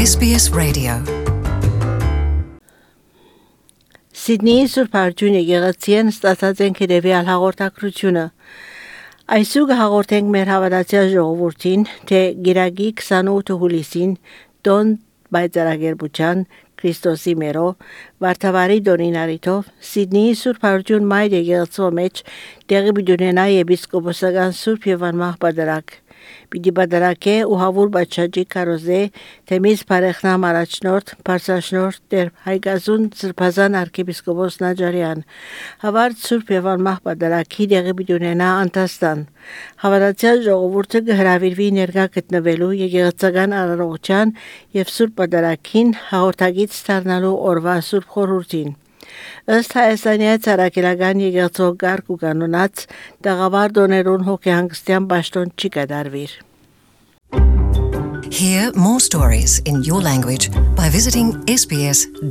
SBS Radio. Սիդնեի Սուրբ Արջուն եկեղեցին ստացած են քրեվիալ հաղորդակցությունը։ Այսուգ հաղորդենք մեր հավատացյալ ժողովրդին, թե գիրագի 28 հուլիսին տոն բայցարագերբուչան Քրիստոսի մերո վարդավարի դոնինարիթով Սիդնեի Սուրբ Արջուն մայր եկեղեցու մեջ տեղի բյունենա եպիսկոպոսական Սուրբ Եվան Մահբադարակ Պիտի բادرակե ու հավուր բաչաջի կարոզե թեմից բարեխնամ առաջնորդ Փարսաշնորհ Տեր Հայգազուն Սրբազան arczepiskopos Նաջարյան հավարդ Սուրբ Եվան Մահբադարակի դեղի բյունենա Անտաստան հավատացյալ ժողովուրդը կհրավիրվի ներկա գտնվելու եկեղեցական արարողության եւ Սուրբ Պատարագին հաղորդագից դառնալու օրվա Սուրբ խորհրդին Ըստ հայաստանյա ցարակելական եկեղեցու կարգ ու կանոնած տաղավար դոներուն հոգեհանգստյան պաշտոն չի կատարվիր Hear more stories in your language by visiting sbs.com.au.